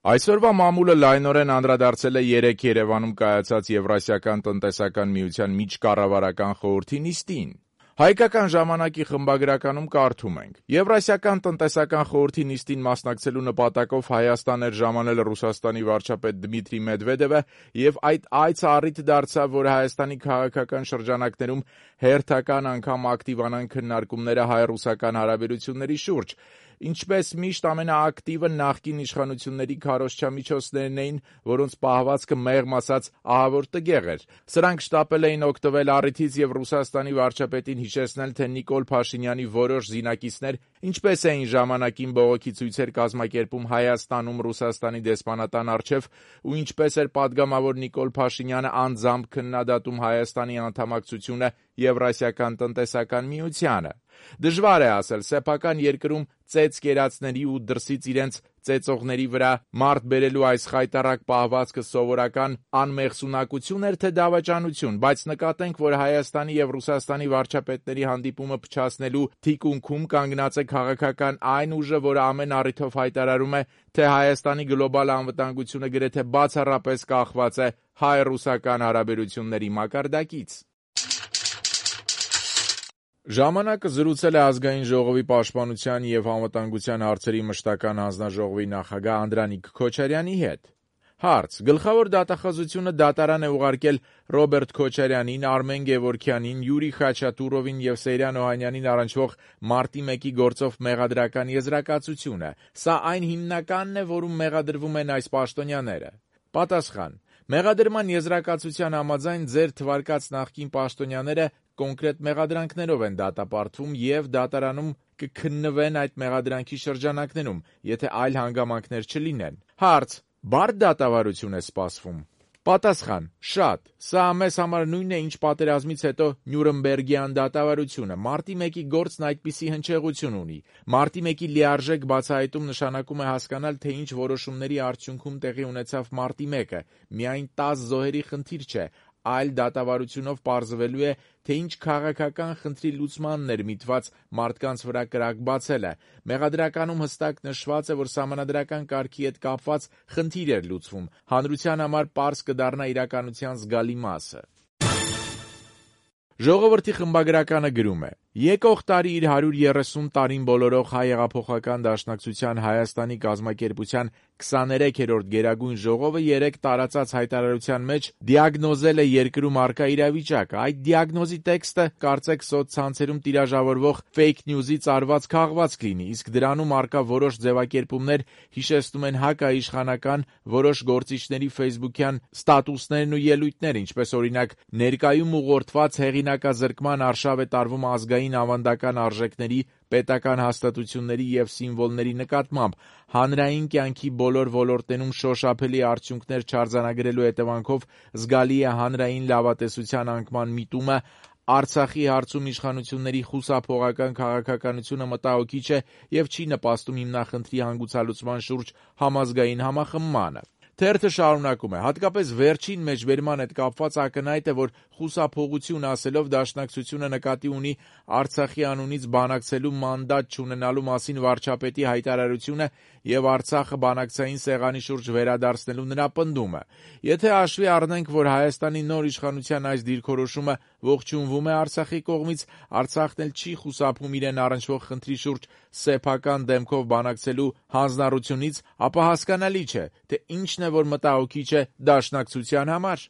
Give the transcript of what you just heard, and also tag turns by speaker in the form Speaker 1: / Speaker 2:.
Speaker 1: Այսօրվա մամուլը լայնորեն անդրադարձել է 3 Երևանում կայացած Եվրասիական տնտեսական միության միջկառավարական խորհրդի նիստին։ Հայկական ժամանակի խմբագրականում կարդում ենք. Եվրասիական տնտեսական խորհրդի նիստին մասնակցելու նպատակով Հայաստան էր ժամանել Ռուսաստանի վարչապետ Դմիտրի Մեդվեդևը եւ այդ այցը առիթ դարձավ, որ Հայաստանի քաղաքական շրջանակներում հերթական անգամ ակտիվանան քննարկումները հայ-ռուսական հարաբերությունների շուրջ։ Ինչպես միշտ ամենաակտիվը նախկին իշխանությունների քարոզչամիջոցներն էին, որոնց պահվածքը մեղմ ասած ահավոր տգեղ էր։ Սրանք շտապել էին օգտվել առիթից եւ Ռուսաստանի վարչապետին հիշեցնել, թե Նիկոլ Փաշինյանի որոշ զինակիցներ ինչպես էին ժամանակին բողոքի ցույցեր կազմակերպում Հայաստանում Ռուսաստանի դեսպանատան առջև ու ինչպես էր падգամավոր Նիկոլ Փաշինյանը անձամբ քննադատում Հայաստանի անդամակցությունը Եվրասիական տնտեսական միությանը։ Դժվար է ասել, սեփական երկրում ծեծ կերածների ու դրսից իրենց ծեծողների վրա մարդ բերելու այս խայտառակ պահվածքը սովորական անմեղսունակություն էր, թե դավաճանություն, բայց նկատենք, որ Հայաստանի եւ Ռուսաստանի վարչապետների հանդիպումը փչացնելու թիկունքում կանգնած է քաղաքական այն ուժը, որը ամեն առիթով հայտարարում է, թե Հայաստանի գլոբալ անվտանգությունը գրեթե բացառապես կախված է հայ-ռուսական հարաբերությունների մակարդակից։ Ժամանակը զրուցել է Ազգային ժողովի պաշտպանության եւ անվտանգության հարցերի մշտական հանձնաժողովի նախագահ Անդրանիկ Քոչարյանի հետ։ Հարց. Գլխավոր դատախազությունը դատարան է ուղարկել Ռոբերտ Քոչարյանին, Արմեն Գևորգյանին, Յուրի Խաչատուրովին եւ Սեյրան Օհանյանին առնչվող մարտի 1-ի գործով մեղադրական եզրակացությունը։ Սա այն հիմնականն է, որում մեղադրվում են այս պաշտոնյաները։ Պատասխան. Մեղադրման եզրակացության համաձայն ձեր թվարկած նախկին պաշտոնյաները կոնկրետ մեղադրանքներով են դատապարտվում եւ դատարանում կքննվեն այդ մեղադրանքի շրջանակներում, եթե այլ հանգամանքներ չլինեն։ Հարց. Բարդ դատավարություն է սպասվում։ Պատասխան. Շատ։ Սա մեզ համար նույնն է, ինչ պատերազմից հետո Նյուրնբերգյան դատավարությունը։ Մարտի 1-ի գործն այդպիսի հնչեղություն ունի։ Մարտի 1-ի լիարժեք բացահայտում նշանակում է հասկանալ, թե ինչ որոշումների արդյունքում տեղի ունեցավ մարտի 1-ը։ Միայն 10 զոհերի խնդիր չէ, այլ դատավարությունով պարզվելու է, թե ինչ քաղաքական խնդրի լուծմանն էր միտված մարդկանց վրա կրակ բացելը։ Մեղադրականում հստակ նշված է, որ սահմանադրական կարգի հետ կապված խնդիր էր լուծվում։ Հանրության համար պարզ կդառնա իրականության զգալի մասը։ Ժողովրդի խմբագրականը գրում է. Եկող տարի իր 130 տարին բոլորող Հայ հեղափոխական դաշնակցության Հայաստանի կազմակերպության 23-րդ Գերագույն ժողովը 3 տարածած հայտարարության մեջ դիագնոզել է երկրում առկա իրավիճակը։ Այդ դիագնոզի տեքստը կարծեք սոցցանցերում տիրաժավորվող fake news-ից արված քաղվածք լինի, իսկ դրանում առկա որոշ ձևակերպումներ հիշեցնում են հակաիշխանական որոշ գործիչների ֆեյսբուքյան ստատուսներն ու ելույթներ, ինչպես օրինակ ներկայում ուղղորդված հեղինակազրկման արշավ է տարվում ազգային ավանդական արժեքների, պետական հաստատությունների եւ սիմվոլների նկատմամբ, հանրային կյանքի բոլոր ոլորտներում շոշափելի արդյունքներ չարձանագրելու հետևանքով զգալի է հանրային լավատեսության անկման միտումը, Արցախի հարցում իշխանությունների խուսափողական քաղաքականությունը մտահոգիչ է եւ չի նպաստում հիմնախնդրի հանգուցալուծման շուրջ համազգային համախմբմանը։ Թերթը շարունակում է. հատկապես վերջին մեջբերման հետ կապված ակնհայտ է, որ խուսափողություն ասելով դաշնակցությունը նկատի ունի Արցախի անունից բանակցելու մանդատ չունենալու մասին վարչապետի հայտարարությունը եւ Արցախը բանակցային սեղանի շուրջ վերադարձնելու նրա պնդումը։ Եթե հաշվի առնենք, որ Հայաստանի նոր իշխանության այս դիրքորոշումը ողջունվում է Արցախի կողմից, Արցախն էլ չի խուսափում իրեն առնչվող խնդրի շուրջ սեփական դեմքով բանակցելու հանձնառությունից, ապա հասկանալի չէ, թե ինչն է, որ մտահոգիչ է դաշնակցության համար։